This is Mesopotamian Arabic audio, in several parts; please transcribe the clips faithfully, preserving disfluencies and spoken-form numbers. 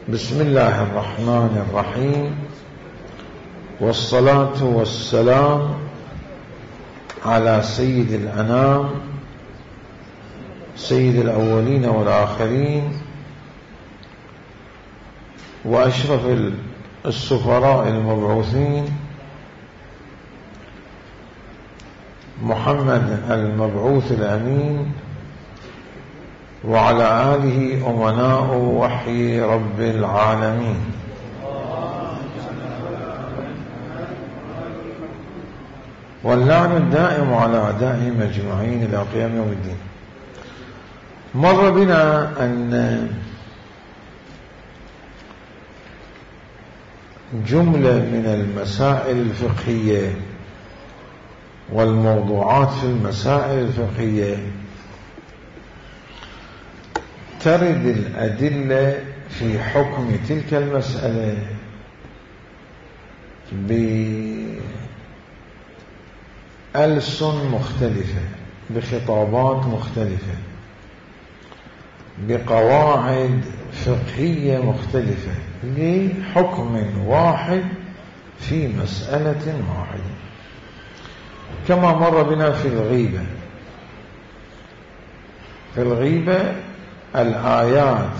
بسم الله الرحمن الرحيم، والصلاة والسلام على سيد الأنام سيد الأولين والآخرين وأشرف السفراء المبعوثين محمد المبعوث الأمين، وعلى آله أمناء وحي رب العالمين. واللعن الدائم على أعدائهم أجمعين إلى قيام يوم الدين. مر بنا أن جملة من المسائل الفقهية والموضوعات في المسائل الفقهية ترد الأدلة في حكم تلك المسألة بألسن مختلفة، بخطابات مختلفة، بقواعد فقهية مختلفة لحكم واحد في مسألة واحدة، كما مر بنا في الغيبة. في الغيبة الآيات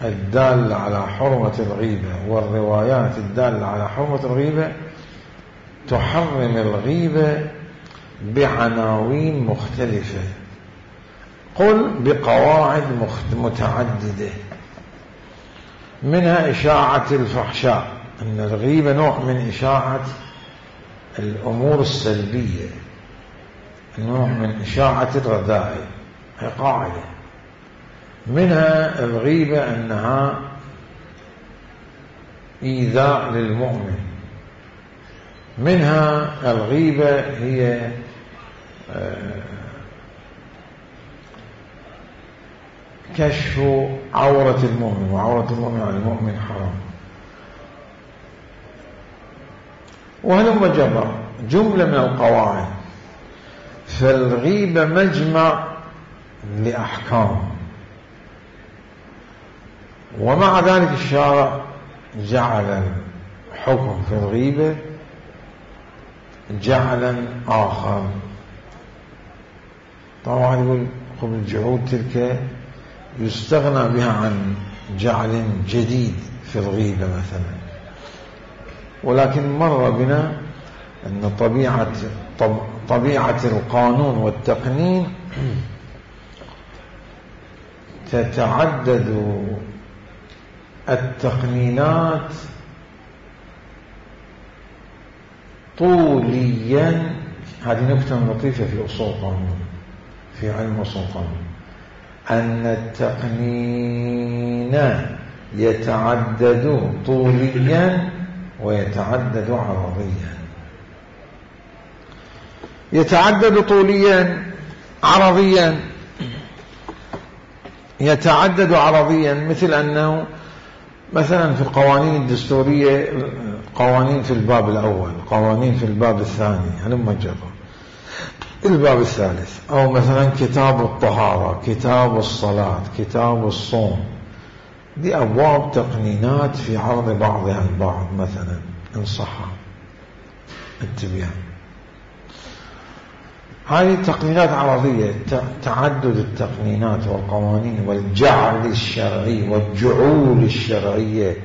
الدالة على حرمة الغيبة والروايات الدالة على حرمة الغيبة تحرم الغيبة بعناوين مختلفة، قل بقواعد متعددة، منها إشاعة الفحشاء، أن الغيبة نوع من إشاعة الأمور السلبية، نوع من إشاعة الرذائل، هي قاعدة. منها الغيبة أنها إيذاء للمؤمن، منها الغيبة هي كشف عورة المؤمن، وعورة المؤمن على المؤمن حرام. وهلم جرى جملة من القواعد. فالغيبة مجمع لأحكام، ومع ذلك الشارع جعل الحكم في الغيبة جعلا آخر. طبعا يقول قبل الجعود تلك يستغنى بها عن جعل جديد في الغيبة مثلا، ولكن مر بنا أن طبيعة طبيعة القانون والتقنين تتعدد التقنينات طوليا. هذه نكتة لطيفة في أصول القانون، في علم أصول القانون، أن التقنين يتعدد طوليا ويتعدد عرضيا. يتعدد طوليا عرضيا، يتعدد عرضيا مثل أنه مثلا في القوانين الدستورية قوانين في الباب الأول، قوانين في الباب الثاني، هلما جرى الباب الثالث، أو مثلا كتاب الطهارة، كتاب الصلاة، كتاب الصوم، دي أبواب تقنينات في عرض بعضها البعض مثلا إن صح التبيان. هذه تقنينات عرضية، تعدد التقنينات والقوانين والجعل الشرعي والجعول الشرعية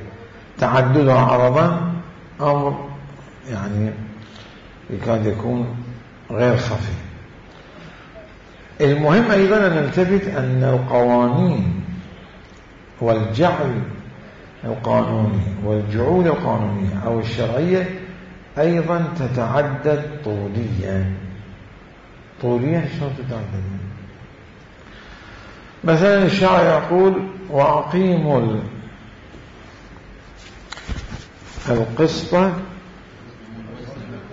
تعددها عرضا أمر يعني يكاد يكون غير خفي. المهم أيضا أن نلتفت أن القوانين والجعل القانوني والجعول القانونية أو الشرعية أيضا تتعدد طوليا. طوليا شلون تتعدد؟ مثلا الشاعر يقول وأقيموا القسط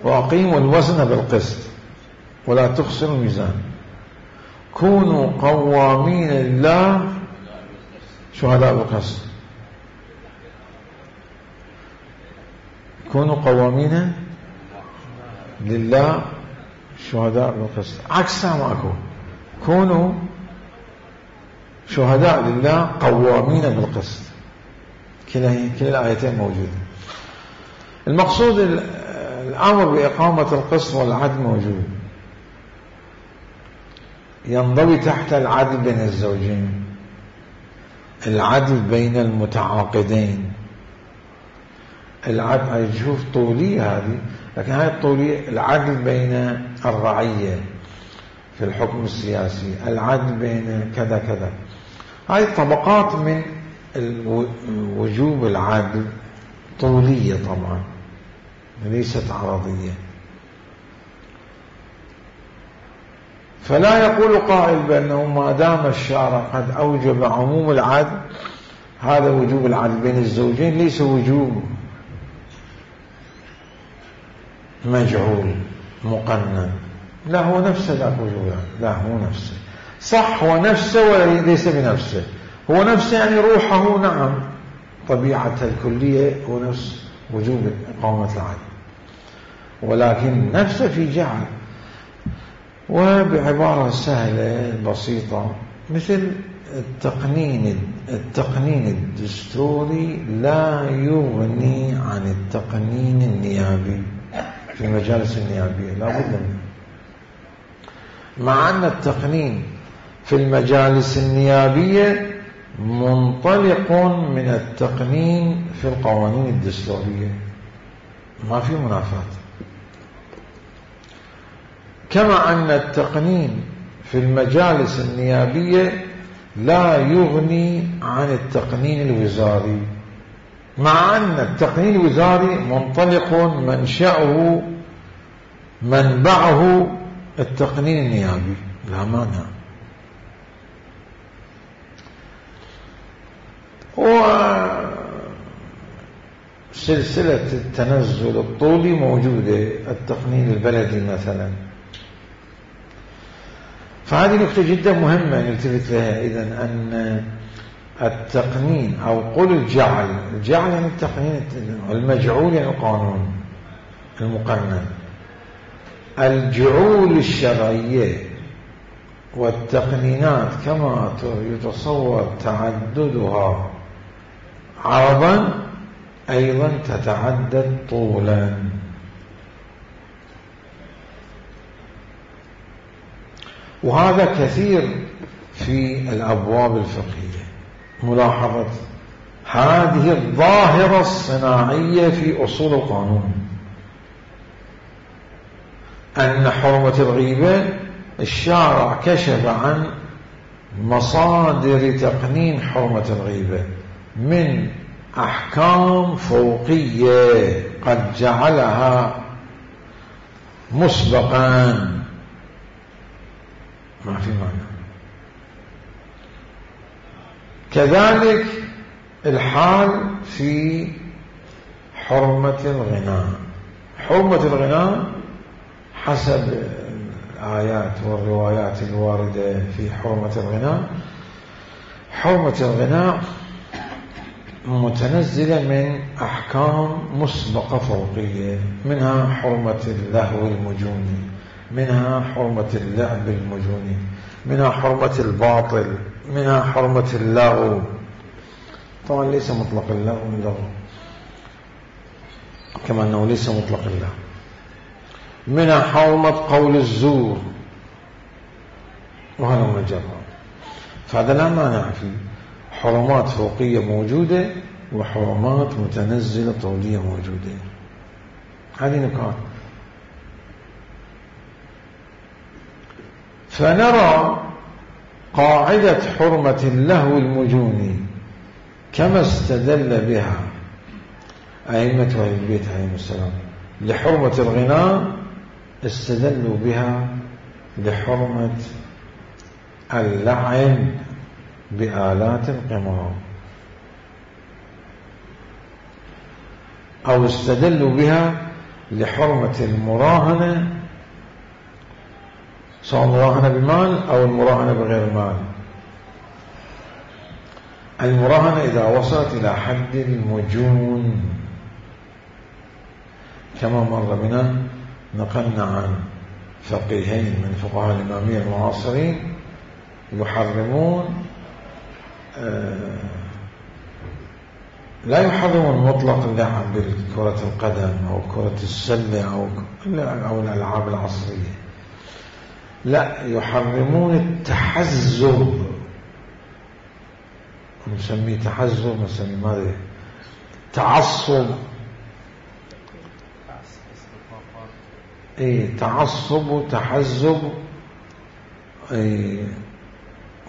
وأقيموا الوزن بالقسط ولا تخسروا الميزان، كونوا قوامين لله شهداء بالقسط. كونوا قوامين لله شهداء بالقسط، عكسها ماكو. كونوا شهداء لله قوامين بالقسط. كلا كلا الآيتين موجودة. المقصود الأمر بإقامة القسط والعدل موجود، ينضوي تحت العدل بين الزوجين، العدل بين المتعاقدين. العدل هاي تشوف طولية هذه، لكن هاي الطولية العدل بين الرعية في الحكم السياسي، العدل بين كذا كذا. هاي طبقات من وجوب العدل طولية طبعا ليست عرضية. فلا يقول قائل بأنه ما دام الشارع قد أوجب عموم العدل هذا وجوب العدل بين الزوجين ليس وجوب مجعول مقنن، لا هو نفسه ذاك وجوب، لا هو نفسه صح، هو نفسه وليس بنفسه، هو نفسه يعني روحه نعم طبيعته الكلية هو نفس وجوب إقامة العدل، ولكن نفسه في جعل. وبعبارة سهلة بسيطة مثل التقنين التقنين الدستوري لا يغني عن التقنين النيابي في المجالس النيابية، لا بد منه، مع أن التقنين في المجالس النيابية منطلق من التقنين في القوانين الدستورية، ما في منافاة. كما أن التقنين في المجالس النيابية لا يغني عن التقنين الوزاري، مع أن التقنين الوزاري منطلق منشأه منبعه التقنين النيابي، لا مانع. وسلسلة التنزل الطولي موجودة، التقنين البلدي مثلا. فهذه نقطة جدا مهمة نلتفت لها إذن، أن التقنين أو قل الجعل، الجعل يعني التقنين، المجعول يعني القانون المقنن، الجعول الشرعية والتقنينات كما يتصور تعددها عرضا أيضا تتعدد طولا. وهذا كثير في الأبواب الفقهية، ملاحظة هذه الظاهرة الصناعية في أصول القانون، أن حرمة الغيبة الشارع كشف عن مصادر تقنين حرمة الغيبة من أحكام فوقية قد جعلها مسبقا، ما في معنى. كذلك الحال في حرمة الغناء، حرمة الغناء حسب الآيات والروايات الواردة في حرمة الغناء، حرمة الغناء متنزلة من أحكام مسبقة فوقية، منها حرمة اللهو المجوني، منها حرمة اللعب المجوني، منها حرمة الباطل، منها حرمة اللغو. طبعا ليس مطلق اللغو من لغو، كما أنه ليس مطلق اللغو، منها حرمة قول الزور، وهذا مجرد. فهذا لا مانع فيه، حرمات فوقية موجودة وحرمات متنزلة طولية موجودة. هذه نقاط. فنرى قاعدة حرمة اللهو المجوني كما استدل بها أئمة أهل البيت عليهم السلام لحرمة الغناء، استدلوا بها لحرمة اللعن بآلات القمار، أو استدلوا بها لحرمة المراهنة، سواء مراهنة بمال أو المراهنة بغير مال. المراهنة إذا وصلت إلى حد المجون، كما مر بنا نقلنا عن فقيهين من فقهاء الإمامية المعاصرين يحرمون لا يحرمون مطلق اللعب بكرة القدم أو كرة السلة أو أو الألعاب العصرية، لا، يحرمون التحزب، نسميه تحزب، نسميه ماذا، تعصب، اي تعصب وتحزب، اي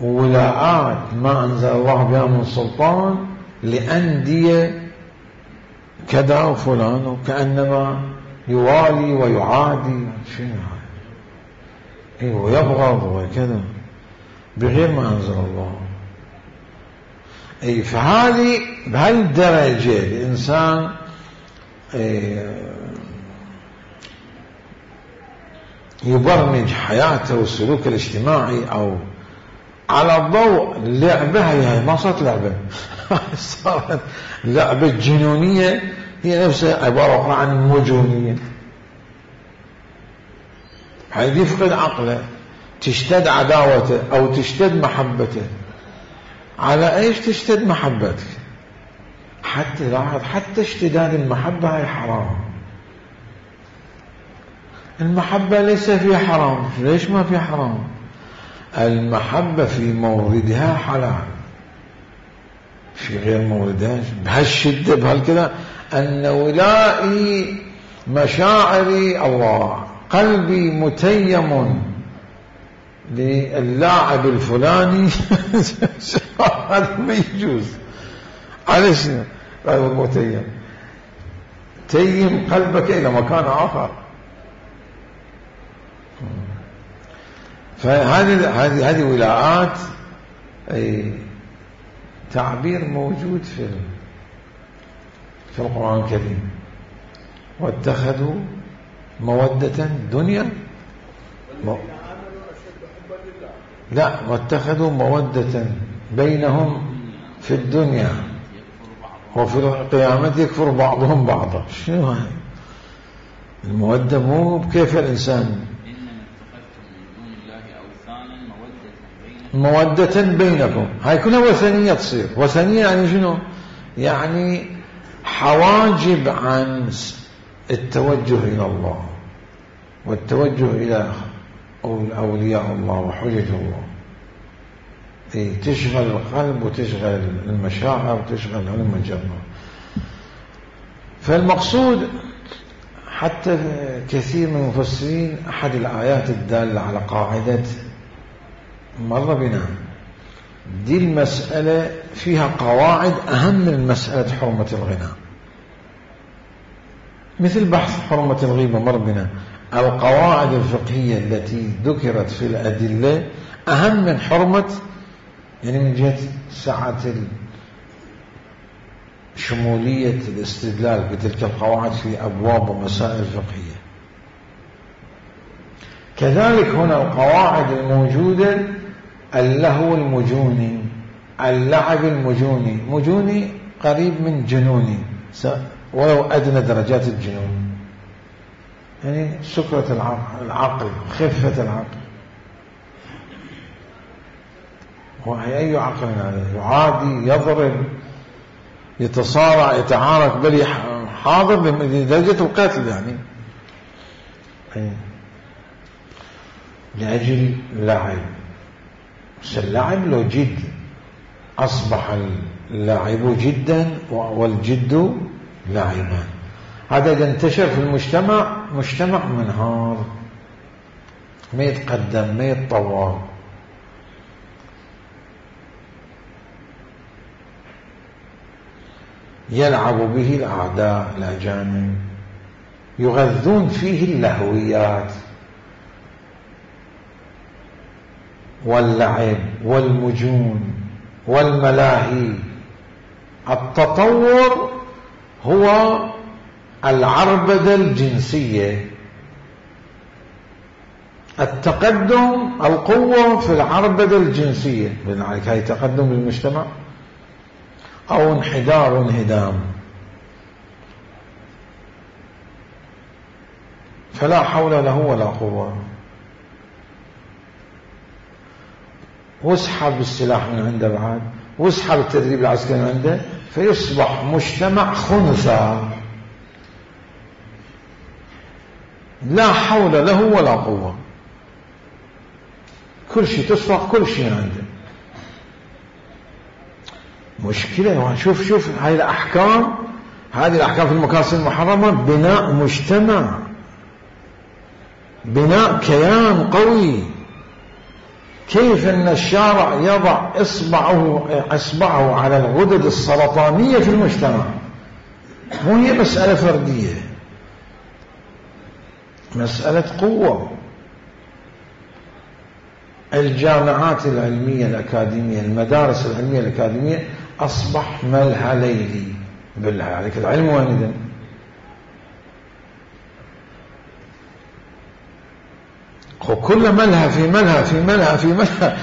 ولاءات ما أنزل الله بها من سلطان لأندية كذا وفلان، وكأنما يوالي ويعادي شنو هذا، اي ويبغض وكذا بغير ما أنزل الله. اي فهذه بهالدرجة الإنسان يبرمج حياته والسلوك الاجتماعي أو على ضوء اللعبة. هي ما صارت لعبة صارت لعبة جنونية، هي نفسها عبارة عن مجونية. حيث يفقد عقله، تشتد عداوته أو تشتد محبته. على ايش تشتد محبتك؟ حتى لاحظ، حتى اشتداد المحبة هي حرام. المحبة ليس فيها حرام. ليش ما فيها حرام؟ المحبة في موردها حلال، في غير موردها بهالشدة بهالكذا، أن ولائي مشاعري الله، قلبي متيم للاعب الفلاني هذا ما يجوز. على شنو؟ قلب متيم، تيم قلبك إلى مكان آخر. فهذه هذه هذه ولاءات، أي تعبير موجود في في القرآن الكريم. واتخذوا مودة دنيا م... لا، واتخذوا مودة بينهم في الدنيا وفي القيامة يكفر بعضهم بعضا. شنو هاي المودة؟ مو بكيف الإنسان، مودة بينكم، هاي كلها وثنية تصير. وثنية يعني شنو؟ يعني حواجب عن التوجه إلى الله والتوجه إلى أولياء الله وحجج الله. إيه، تشغل القلب وتشغل المشاعر وتشغل المجرة. فالمقصود حتى كثير من المفسرين، أحد الآيات الدالة على قاعدة مر بنا دي المسألة فيها قواعد أهم من مسألة حرمة الغناء، مثل بحث حرمة الغيبة مر بنا. القواعد الفقهية التي ذكرت في الأدلة أهم من حرمة، يعني من جهة سعة شمولية الاستدلال بتلك القواعد في أبواب ومسائل فقهية. كذلك هنا القواعد الموجودة، اللهو المجوني، اللعب المجوني. مجوني قريب من جنوني ولو أدنى درجات الجنون، يعني سكرة العقل, العقل خفة العقل. وهي أي عقل هذا؟ يعادي، يضرب، يتصارع، يتعارك، بل حاضر لدرجة القتل يعني لأجل لعب. بس اللعب لو جد، أصبح اللعب جدا والجد لعبا. هذا إذا انتشر في المجتمع، مجتمع منهار، ما يتقدم، ما يتطور. يلعب به الأعداء الأجانب، يغذون فيه اللهويات واللعب والمجون والملاهي. التطور هو العربدة الجنسية، التقدم القوة في العربدة الجنسية. لذلك هاي تقدم للمجتمع أو انحدار وانهدام. فلا حول له ولا قوة. واسحب السلاح من عنده بعد، واسحب التدريب العسكري من عنده، فيصبح مجتمع خنثى لا حول له ولا قوة، كل شيء تسرق كل شيء عنده. مشكلة. شوف شوف هاي الأحكام، هذه الأحكام في المكاسب المحرمة بناء مجتمع، بناء كيان قوي. كيف أن الشارع يضع إصبعه إصبعه على الغدد السرطانية في المجتمع؟ مو هي مسألة فردية، مسألة قوة. الجامعات العلمية الأكاديمية، المدارس العلمية الأكاديمية أصبح ملهى ليلي. بالله عليك العلم وين إذن؟ وكل ملهى في ملهى في ملهى في ملهى.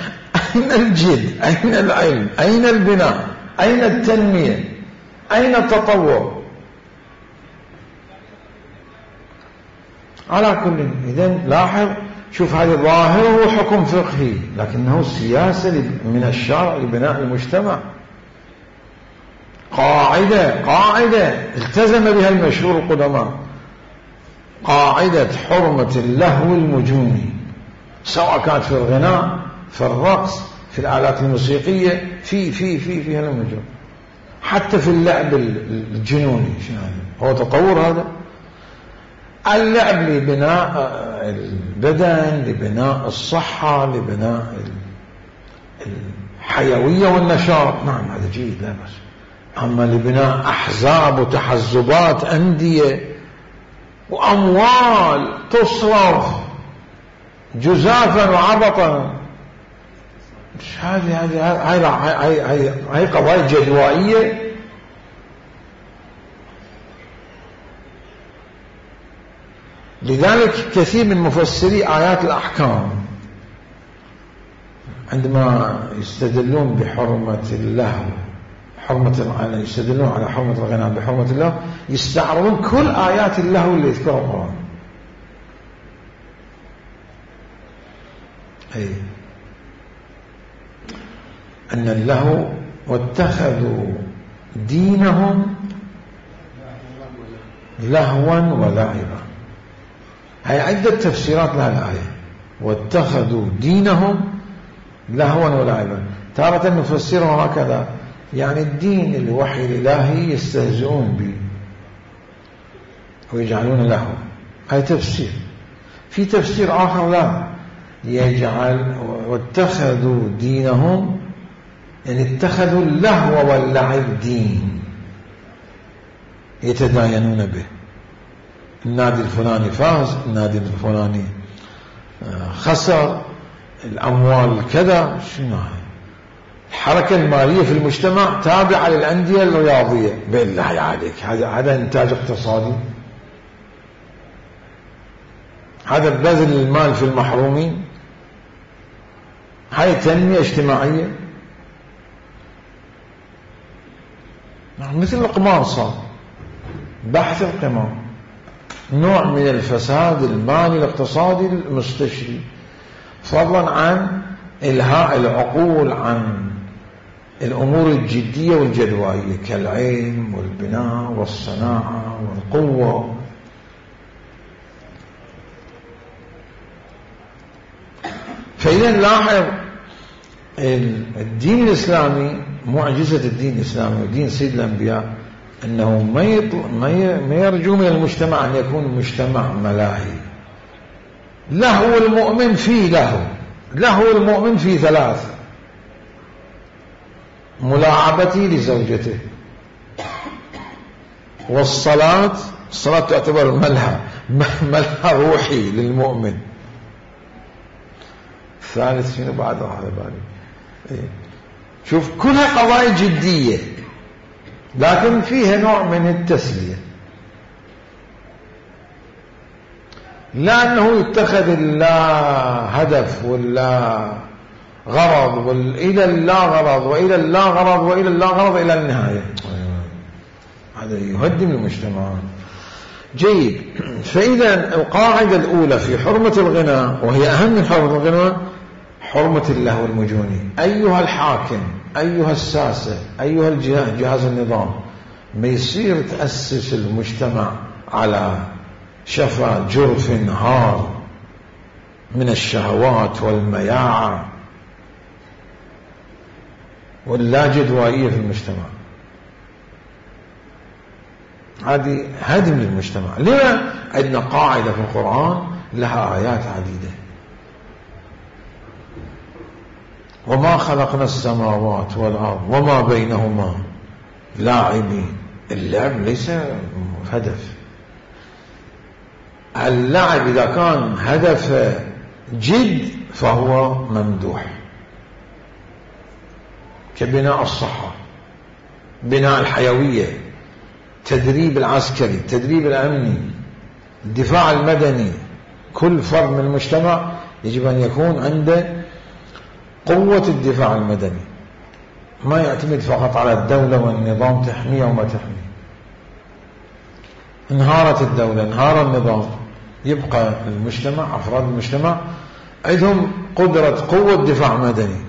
أين الجد؟ أين العلم؟ أين البناء؟ أين التنمية؟ أين التطور؟ على كل إذن لاحظ، شوف هذه ظاهره حكم فقهي لكنه سياسة من الشارع لبناء المجتمع. قاعدة قاعدة التزم بها المشهور القدماء، قاعدة حرمة اللهو المجوني، سواء كانت في الغناء، في الرقص، في الآلات الموسيقية، في في في في هالمجال، حتى في اللعب الجنوني. هو تطور هذا؟ اللعب لبناء البدن، لبناء الصحة، لبناء الحيوية والنشاط، نعم هذا جيد لا بأس. أما لبناء أحزاب وتحزبات، أندية وأموال تصرف جزافا وعبطا، مش هذه هذه هاي هاي هاي قضايا جدوائية. لذلك كثير من مفسري آيات الأحكام عندما يستدلون بحرمة اللهو، حرمة يستدلون على حرمة الغناء بحرمة اللهو، يستعرضون كل آيات اللهو اللي يذكرها القرآن. أي أن اللهو واتخذوا دينهم لهوا ولعبا. هي عدة تفسيرات لها الآية، واتخذوا دينهم لهوا ولعبا. تارة نفسرها هكذا، يعني الدين الوحي الإلهي يستهزئون به ويجعلون له، هاي تفسير. في تفسير آخر لا، يجعل واتخذوا دينهم، يعني اتخذوا اللهو واللعب دين يتداينون به. النادي الفلاني فاز، النادي الفلاني خسر، الأموال كذا، شنو هاي؟ الحركة المالية في المجتمع تابعة للأندية الرياضية. بالله عليك، هذا هذا إنتاج اقتصادي؟ هذا بذل المال في المحرومين؟ هاي تنمية اجتماعية؟ مثل القمار صار، بحث القمار نوع من الفساد المالي الاقتصادي المستشري، فضلا عن إلهاء العقول عن الأمور الجدية والجدوائية كالعلم والبناء والصناعة والقوة. فإذا نلاحظ الدين الإسلامي، معجزة الدين الإسلامي ودين سيد الأنبياء أنه ما يرجو من المجتمع أن يكون مجتمع ملاهي. لهو المؤمن فيه لهو، لهو المؤمن فيه ثلاث: ملاعبتي لزوجته، والصلاة، الصلاة تعتبر ملهى ملهى روحي للمؤمن. الثالث شنو بعد هذا بالي؟ شوف كلها قضايا جدية لكن فيها نوع من التسلية، لأنه يتخذ لا هدف ولا غرض، وإلى اللا غرض وإلى اللا غرض وإلى اللا غرض إلى النهاية. هذا يهدم المجتمع. جيد. فإذا القاعدة الأولى في حرمة الغناء، وهي أهم من حرمة الغناء، حرمة اللهو المجوني. أيها الحاكم، أيها الساسة، أيها الجهاز، جهاز النظام، ما يصير تأسس المجتمع على شفا جرف هار من الشهوات والمياعة واللاجدوائية في المجتمع. هذه هدم للمجتمع. لما؟ عندنا قاعدة في القرآن لها آيات عديدة: وما خلقنا السماوات والأرض وما بينهما لاعبين. اللعب ليس هدف. اللعب إذا كان هدف جد فهو ممدوح، كبناء الصحة، بناء الحيوية، التدريب العسكري، التدريب الأمني، الدفاع المدني. كل فرد من المجتمع يجب أن يكون عنده قوة الدفاع المدني، ما يعتمد فقط على الدولة والنظام تحميه وما تحميه. انهارت الدولة، انهار النظام، يبقى المجتمع، أفراد المجتمع عندهم قدرة قوة دفاع مدني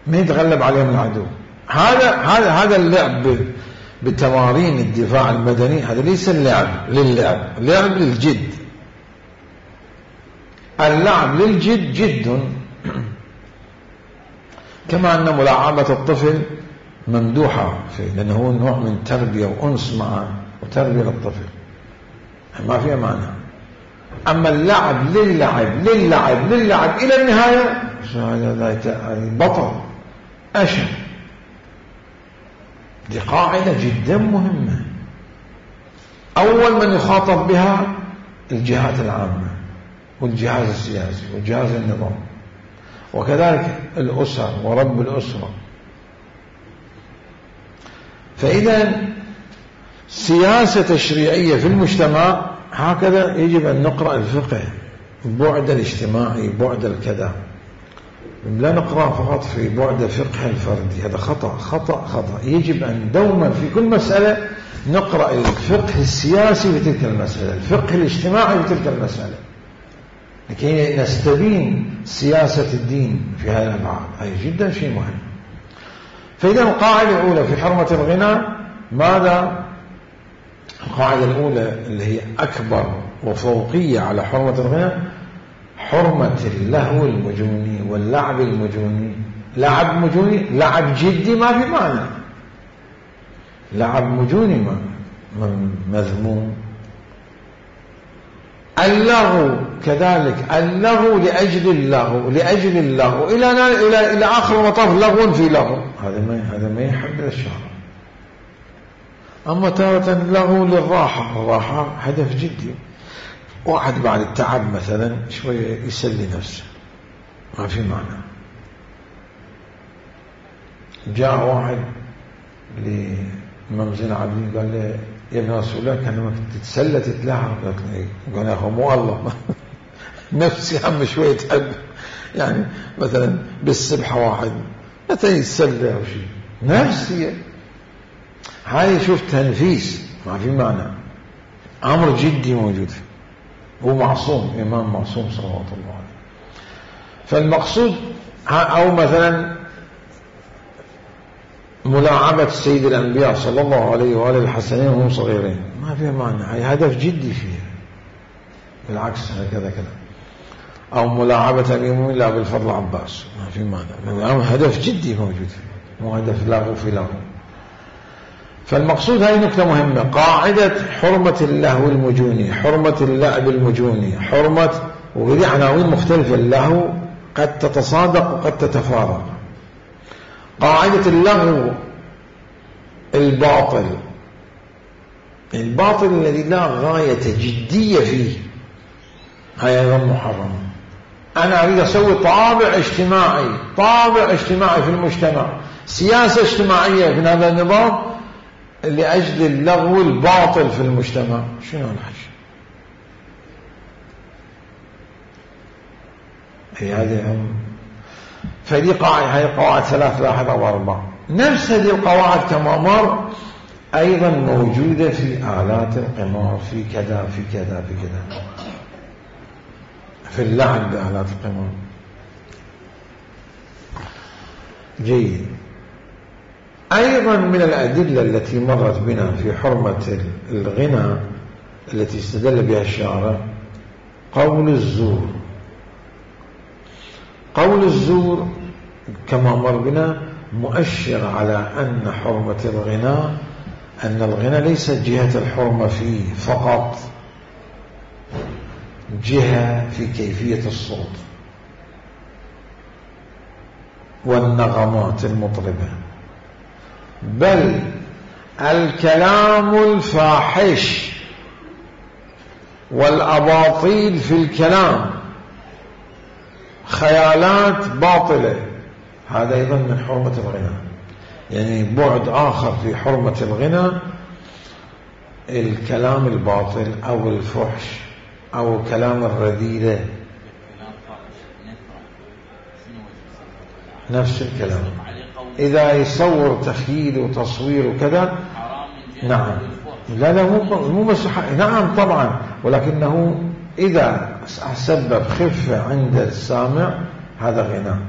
ما يتغلب عليهم العدو. هذا هذا هذا اللعب بتمارين الدفاع المدني، هذا ليس اللعب للعب، لعب للجد. اللعب للجد جد، كما أن ملاعبة الطفل ممدوحة فيه، لأنه هو نوع من تربية وأنس معه وتربية للطفل، ما فيها معنى. أما اللعب للعب للعب للعب إلى النهاية هذا بطل أشد. دي قاعدة جدا مهمة، أول من يخاطب بها الجهات العامة والجهاز السياسي والجهاز النظام، وكذلك الأسر ورب الأسرة. فإذا سياسة تشريعية في المجتمع هكذا يجب أن نقرأ الفقه، بعد الاجتماعي، بعد الكذا، لا نقرأ فقط في بعد فقه الفردي. هذا خطأ خطأ خطأ. يجب أن دوما في كل مسألة نقرأ الفقه السياسي في تلك المسألة، الفقه الاجتماعي في تلك المسألة، لكي نستبين سياسة الدين في هذا الأبعاد. هذا جدا شيء مهم. فإذا القاعدة الأولى في حرمة الغنى ماذا؟ القاعدة الأولى اللي هي أكبر وفوقية على حرمة الغنى، حرمة اللهو المجوني واللعب المجوني. لعب مجوني، لعب جدي ما في معنى، لعب مجوني مذموم. اللغو كذلك، اللغو لأجل اللغو، لأجل اللغو إلى إلى إلى آخر المطاف لغو في لغو، هذا ما هذا ما يحب الشرع. أما تارة اللغو للراحة، الراحة هدف جدي. واحد بعد التعب مثلا شوية يسلي نفسه، ما في معنى. جاء واحد لإمام زين العابدين قال له يا ابن رسول الله كان لما تتسلى تتلاعب. قال يا أخو مو الله نفسي هم شوية تحب، يعني مثلا بالسبحة واحد متى يتسلى أو شيء نفسي، هاي شوف تنفيس ما في معنى، أمر جدي موجود فيه. هو معصوم، إمام معصوم صلوات الله عليه. فالمقصود أو مثلا ملاعبة سيد الأنبياء صلى الله عليه وآله الحسنين وهم صغيرين ما فيها معنى، هي هدف جدي فيها، بالعكس هكذا كذا. أو ملاعبة اليوم لا بالفضل عباس ما في معنى، هدف جدي موجود فيه، مو هدف لغو في لغو. فالمقصود هاي نكتة مهمة، قاعدة حرمة اللهو المجوني، حرمة اللعب المجوني، حرمة، وهذه عناوين مختلفة. اللهو قد تتصادق وقد تتفارق. قاعدة اللغو الباطل، الباطل الذي لا غاية جدية فيه، هاي أيضا محرم. أنا أريد أسوي طابع اجتماعي، طابع اجتماعي في المجتمع، سياسة اجتماعية في هذا النظام لأجل اللغو الباطل في المجتمع، شنو الحش؟ هي هذه هم. فدي قاعدة، هي قواعد ثلاث لاحظ أو أربع. نفس هذه القواعد كما مر أيضا موجودة في آلات القمار، في كذا في كذا في كذا. في اللعب بآلات القمار. جيد. أيضا من الأدلة التي مرت بنا في حرمة الغنى التي استدل بها الشارع قول الزور. قول الزور كما مر بنا مؤشر على أن حرمة الغنى أن الغنى ليس جهة الحرمة فيه فقط، جهة في كيفية الصوت والنغمات المطربة، بل الكلام الفاحش والأباطيل في الكلام، خيالات باطلة، هذا أيضا من حرمة الغنى. يعني بعد آخر في حرمة الغنى الكلام الباطل أو الفحش أو كلام الرذيلة، نفس الكلام. إذا يصور تخيل وتصوير وكذا نعم، لا لا مو مو بس، نعم طبعا، ولكنه إذا سبب خفة عند السامع هذا غنى.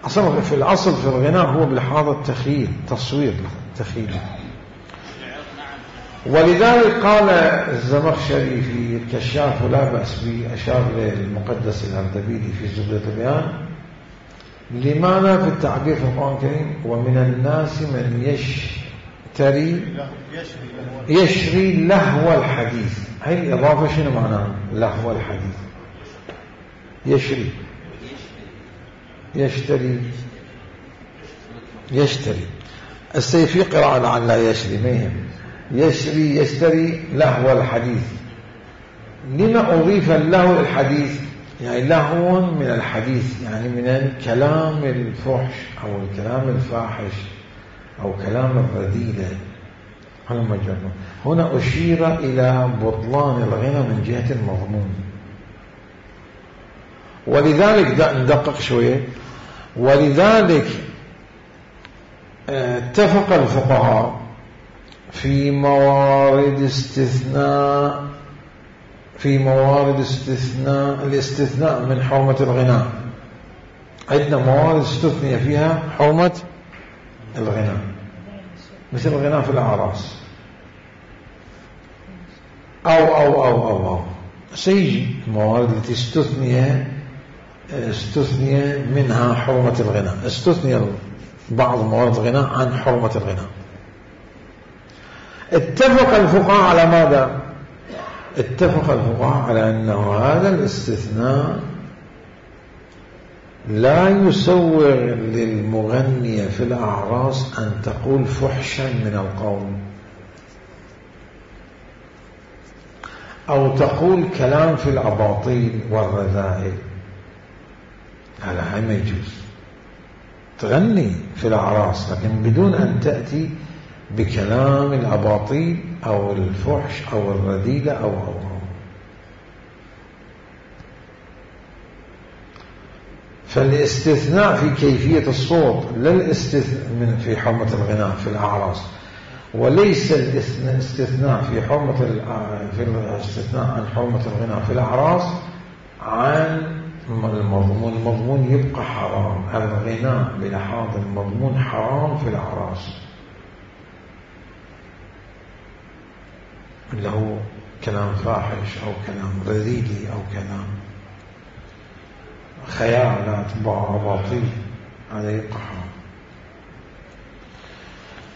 أصلا في الأصل في الغناء هو بلحاظ التخيل، تصوير تخيل. ولذلك قال الزمخشري في الكشاف ولا بأس به، أشار للمقدس الأردبيلي في زبدة البيان، لماذا في التعبير في القرآن الكريم ومن الناس من يشتري يشري لهو الحديث. هاي الإضافة شنو معناها؟ لهو الحديث، يشري يشتري يشتري السيفي قراءة لعل لا يشري ما يهم، يشري يشتري لهو الحديث. لما أضيف اللهو الحديث؟ يعني لهو من الحديث، يعني من الكلام الفحش أو الكلام الفاحش أو كلام الرذيلة. هنا أشير إلى بطلان الغنى من جهة المضمون. ولذلك ندقق شوية، ولذلك اتفق الفقهاء في موارد استثناء في موارد استثناء الاستثناء من حرمة الغناء. عندنا موارد استثنية فيها حرمة الغناء، مثل الغناء في الأعراس أو أو أو أو أو سيجي الموارد التي استثني استثني منها حرمة الغناء، استثني بعض موارد الغناء عن حرمة الغناء. اتفق الفقهاء على ماذا؟ اتفق الفقهاء على أنه هذا الاستثناء لا يسوغ للمغنية في الأعراس أن تقول فحشا من القول أو تقول كلام في الأباطيل والرذائل، هذا ما يجوز. تغني في الأعراس لكن بدون أن تأتي بكلام الأباطيل أو الفحش أو الرذيلة أو أو أو فالاستثناء في كيفية الصوت لا الاستثناء في حرمة الغناء في الأعراس، وليس الاستثناء في حرمة في الاستثناء عن حرمة الغناء في الأعراس عن المضمون. المضمون يبقى حرام، الغناء بلحاظ المضمون حرام في الأعراس، اللي هو كلام فاحش أو كلام رذيلي أو كلام خيالات أباطيل، هذا يبقى حرام.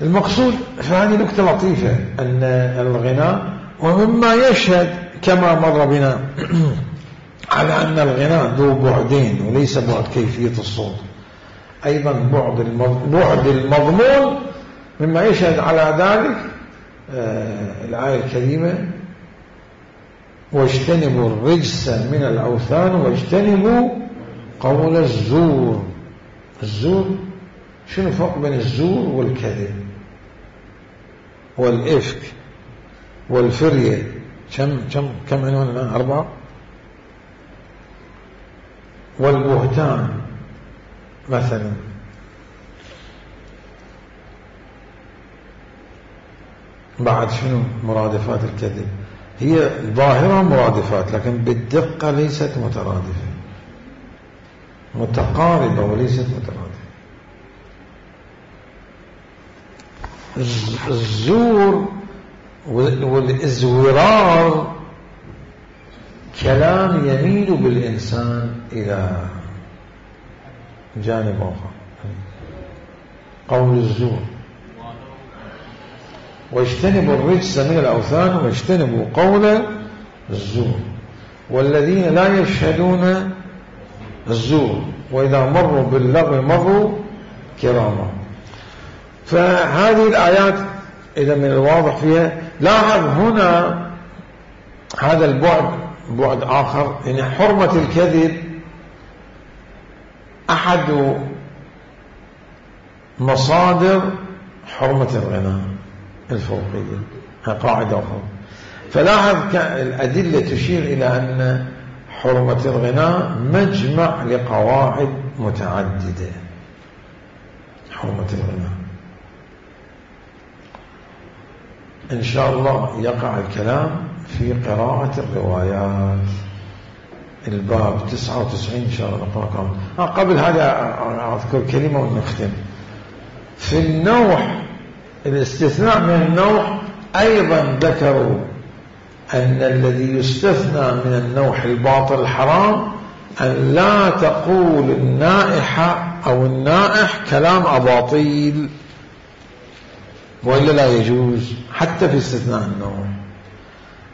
المقصود فهذه نكتة لطيفة أن الغناء ومما يشهد كما مر بنا على أن الغناء ذو بعدين وليس بعد كيفية الصوت، أيضا بعد بعد المضمون مما يشهد على ذلك آه الآية الكريمة واجتنبوا الرجس من الأوثان واجتنبوا قول الزور. الزور شنو الفرق بين الزور والكذب والإفك والفرية؟ كم كم كم عنوان الآن؟ أربعة. والبهتان مثلا، بعد شنو مرادفات الكذب؟ هي ظاهرة مرادفات لكن بالدقة ليست مترادفة، متقاربة وليست مترادفة. الزور والإزورار كلام يميل بالإنسان إلى جانب آخر، قول الزور. واجتنبوا الرجس من الأوثان واجتنبوا قول الزور، والذين لا يشهدون الزور وإذا مروا باللغو مروا كراما. فهذه الآيات إذا من الواضح فيها لاحظ هنا هذا البعد بعد آخر، يعني حرمة الكذب أحد مصادر حرمة الغناء الفوقية، قاعدة أخرى. فلاحظ الأدلة تشير إلى أن حرمة الغناء مجمع لقواعد متعددة. حرمة الغناء إن شاء الله يقع الكلام في قراءة الروايات، الباب تسعة وتسعين إن شاء الله نقرأ. آه قبل هذا أذكر كلمة ونختم. في النوح الاستثناء من النوح أيضا ذكروا أن الذي يستثنى من النوح الباطل الحرام أن لا تقول النائحة أو النائح كلام أباطيل، وإلا لا يجوز حتى في استثناء النوح.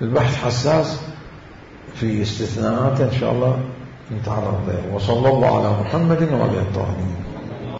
البحث حساس في استثناءات إن شاء الله نتعرض له. وصلى الله على محمد وعلى آله الطاهرين.